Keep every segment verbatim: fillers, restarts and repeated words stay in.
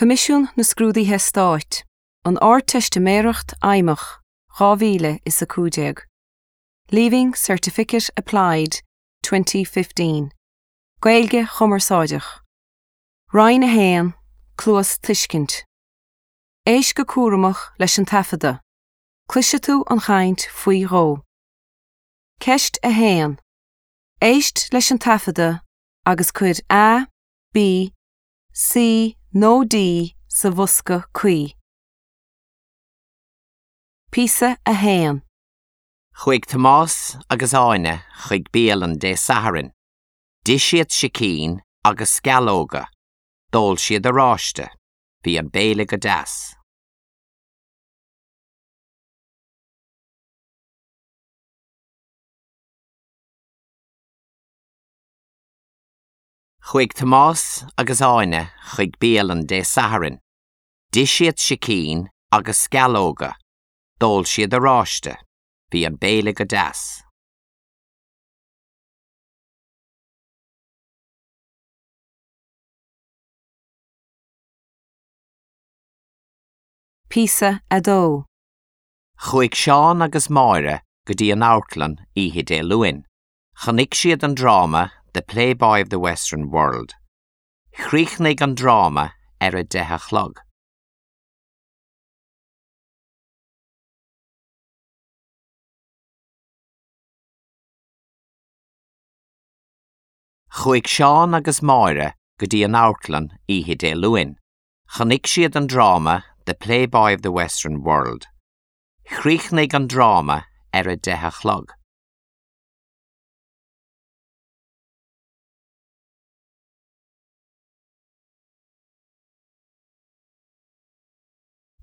Coimisiún na Scrúduithe Stáit, An Ardteistiméireacht Fheidhmeach, dhá mhíle is a cúig déag. Leaving Certificate Applied twenty fifteen. Gaeilge Chumarsáideach. Roinn a haon, Cluastuiscint. Éist go cúramach leis an taifeadadh. Cloisfidh tú an chaint faoi dhó. Ceist a haon. Éist leis an taifeadadh agus cuir A, B, C nó D sa bhosca cuí. Píosa a haon. Chuaigh Tomás agus Áine chuig bialann Dé Sathairn. D'ith siad sicín agus sceallóga. D'ól siad oráiste. Bhí an béile go deas. Chuaigh Tomás agus Áine chuig bialann Dé Sathairn. D'ith siad sicín agus sceallóga. D'ól siad oráiste. Bhí an béile go deas. Píosa a dó. Chuaigh Seán agus Máire go dtí an amharclann oíche Dé Luain. Chonaic siad an dráma The Playboy of the Western World. Chríochnaigh an dráma ar a deich a chlog. Chuaigh Seán agus Máire go dtí an amharclann oíche Dé Luain. Chonaic siad an dráma The Playboy of the Western World. Chríochnaigh an dráma ar a deich a chlog.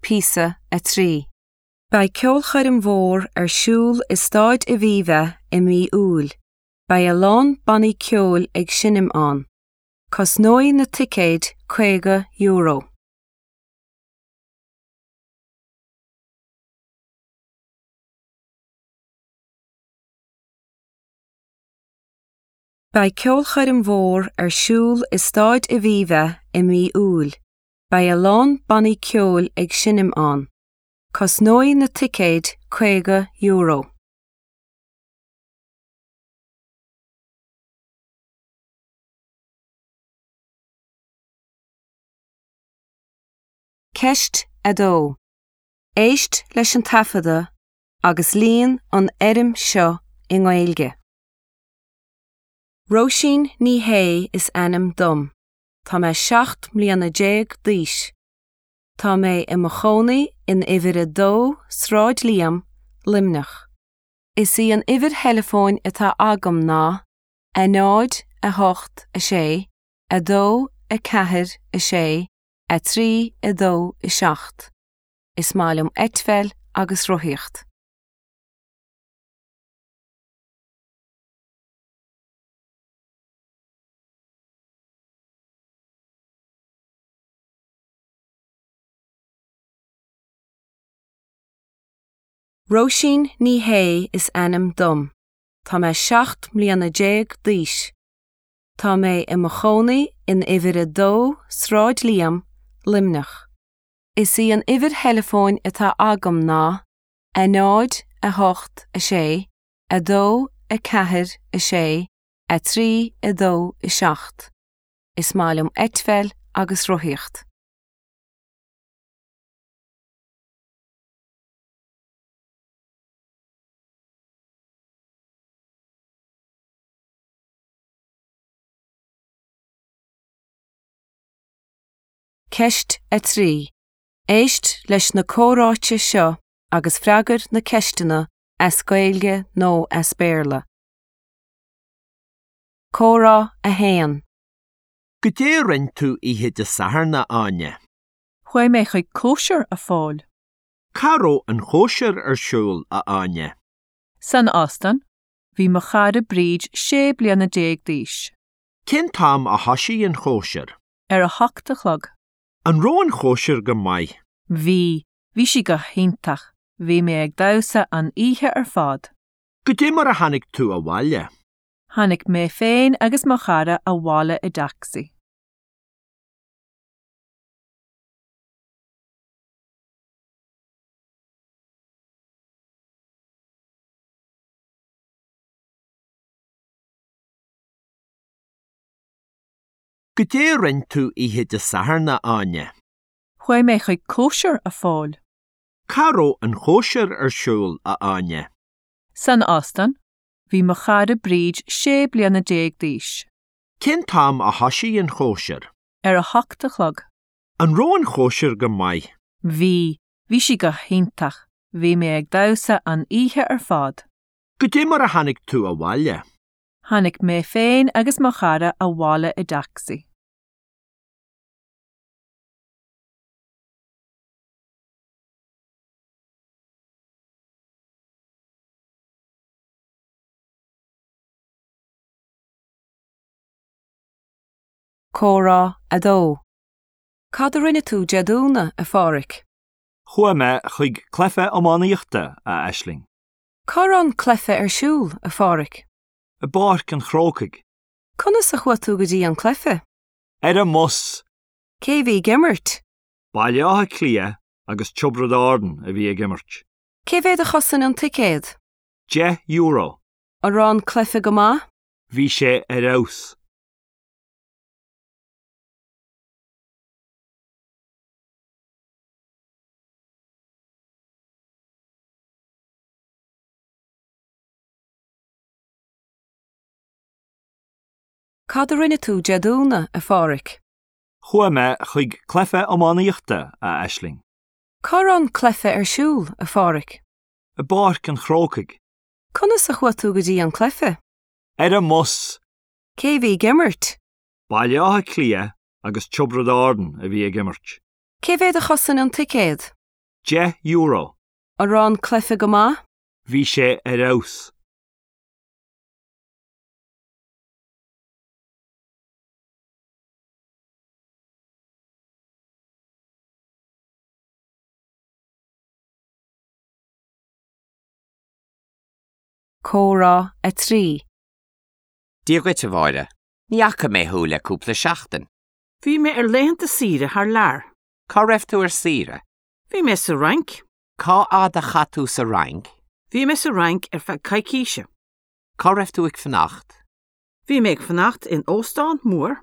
Píosa a trí. Beidh ceolchoirm mhór ar siúl i Staid Aviva i mí Iúil. Beidh a lán bannaí ceoil ag seinm ann. Cosnóidh na ticéid caoga euro. Beidh ceolchoirm mhór ar siúl i Staid Aviva i mí Iúil. Beidh a lán bannaí ceoil ag seinm ann. Cosnóidh na ticéid caoga euro. Ceist a dó. Éist leis an taifeadadh agus líon an fhoirm seo i nGaeilge. Róisín Ní Shé is ainm dom. Tá mé seacht mbliana déag d'aois. Tá mé i mo chónaí in uimhir a dó Sráid Liam, Luimneach. Is í an uimhir theileafóin atá agam ná a náid a hocht a sé, a dó a ceathair a sé, a trí a dó a seacht. Is maith liom eitpheil agus rothaíocht. Róisín Ní Shé is ainm dom. Tá mé seacht mbliana déag d'aois. Tá mé i mo chónaí in uimhir a dó Sráid Liam, Luimneach. Is í an uimhir theileafóin atá agam ná a náid a hocht a sé, a dó a ceathair a sé, a trí a dó a seacht. Is maith liom eitpheil agus rothaíocht. Ceist a trí. Éist leis na comhráite seo agus freagair na ceisteanna as Gaeilge nó as Béarla. Comhrá a haon. Cad é a rinne tú oíche Dé Sathairn, a Áine. Chuaigh mé chuig cóisir a Phóil. Cá raibh an chóisir ar siúl, a Áine. San óstán, bhí mo chara Bríd sé bliana déag d'aois. Cén t-am a thosaigh an chóisir? Ar a hocht a chlog. An raibh an chóisir go maith? Bhí, bhí sí go hiontach, bhí mé ag damhsa an oíche ar fad. Cad é mar a tháinig tú abhaile. Tháinig mé féin agus mo chara abhaile i dtacsaí. Goidé a rinne tú oíche Dé Sathairn, a Áine. Chuaigh mé chuig cóisir a Phóil. Cá raibh an chóisir ar siúl, a Áine. San óstán, bhí mo chara Bríd sé bliana déag d'aois. Cén t-am a thosaigh an chóisir? Ar a hocht a chlog. An raibh an chóisir go maith? Bhí, bhí sí go hiontach, bhí mé ag damhsa an oíche ar fad. Goidé mar a tháinig tú abhaile. Tháinig mé féin agus mo chara abhaile i dtacsaí. Comhrá a dó. Cad a rinne tú Dé Domhnaigh, a Pháraic? Chuaigh mé chuig cluiche iománaíochta, a Aisling. Cá raibh an cluiche ar siúl, a Pháraic? I bPáirc an Chrócaigh. Conas a chuaigh tú go dtí an cluiche? Ar an mbus. Cé bhí ag imirt? Baile Átha Cliath agus Tiobraid Árann a bhí ag imirt. Cé mhéad a chosain an ticéad? Deich euro. An raibh an cluiche go maith? Bhí sé ar fheabhas. Cad a rinne tú Dé Domhnaigh, a Pháraic? Chuaigh mé chuig cluiche iománaíochta, a Aisling. Cá raibh an cluiche ar siúl, a Pháraic? I bPáirc an Chrócaigh. Conas a chuaigh tú go dtí an cluiche? Ar an mbus. Cé bhí ag imirt? Baile Átha Cliath agus Tiobraid Árann a bhí ag imirt. Cé mhéad a chosain an ticéad? Deich euro. An raibh an cluiche go maith? Bhí sé ar fheabhas. Comhrá a trí. Dia dhuit, a Mháire, ní fhaca mé thú le cúpla seachtain. Bhí mé ar laethanta saoire thar lear. Cá raibh tú ar saoire? Bhí mé sa Fhrainc. Cá fhad a chaith tú sa Fhrainc? Bhí mé sa Fhrainc ar feadh coicíse. Cá raibh tú ag fanacht? Bhí mé ag fanacht in óstán mór.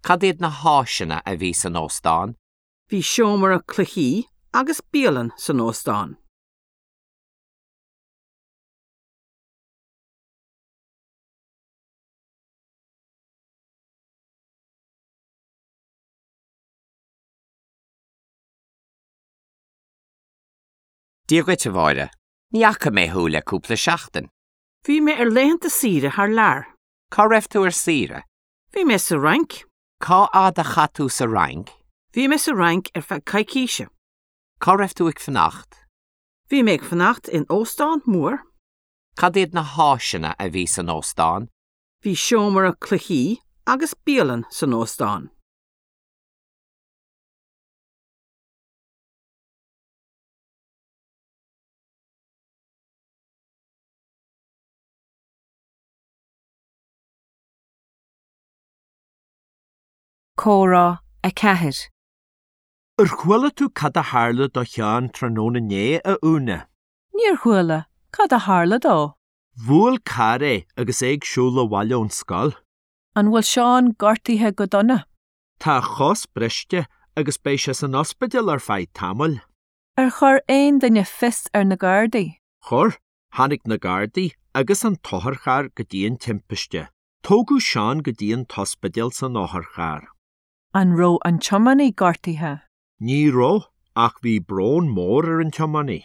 Cad iad na háiseanna a bhí san óstán? Bhí seomra cluichí agus bialann san óstán. Dia dhuit, a Mháire, ní fhaca mé thú le cúpla seachtain. Bhí mé ar laethanta saoire thar lear. Cá raibh tú ar saoire? Bhí mé sa Fhrainc. Cá fhad a chaith tú sa Fhrainc? Bhí mé sa Fhrainc ar feadh coicíse. Cá raibh tú ag fanacht? Bhí mé ag fanacht in óstán mór. Cad iad na háiseanna a bhí san óstán? Bhí seomra cluichí agus bialann san óstán. Comhrá a ceathair. Ar chuala tú cad a tharla do Sheán tráthnóna inné, a Úna? Níor chuala, cad a tharla dó? Bhuail carr é agus é ag siúl abhaile ón scoil. An bhfuil Seán gortaithe go dona? Tá a chos briste agus beidh sé san ospidéal ar feadh tamaill. Ar chuir aon duine fios ar na Gardaí? Chuir, tháinig na Gardaí agus an t-otharcharr go dtí an timpiste. Tógadh Seán go dtí an t-ospidéal san otharcharr. An raibh an tiománaí gortaithe? Ní raibh, ach bhí brón mór ar an tiománaí.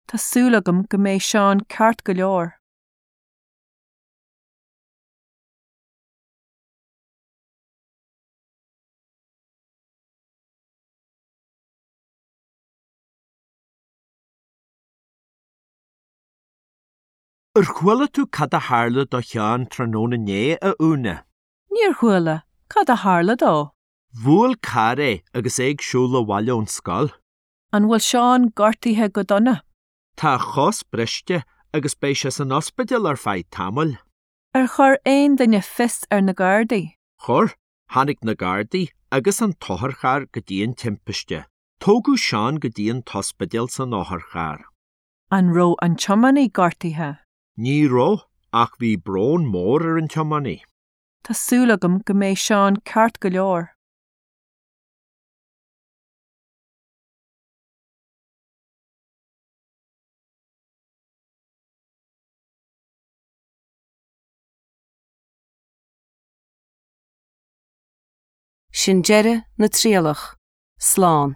Tá súil agam go mbeidh Seán ceart go leor. Ar chuala tú cad a tharla do Sheán tráthnóna inné, a Úna? Níor chuala, cad a tharla dó? Bhuail carr é agus é ag siúl abhaile ón scoil. An bhfuil Seán gortaithe go dona? Tá a chos briste agus beidh sé san ospidéal ar feadh tamaill. Ar chuir aon duine fios ar na Gardaí? Chuir, tháinig na Gardaí agus an t-otharcharr go dtí an timpiste. Tógadh Seán go dtí an t-ospidéal san otharcharr. An raibh an tiománaí gortaithe? Ní raibh, ach bhí brón mór ar an tiománaí. Tá súil agam go mbeidh Seán ceart go leor. Sin deireadh na trialach, slán.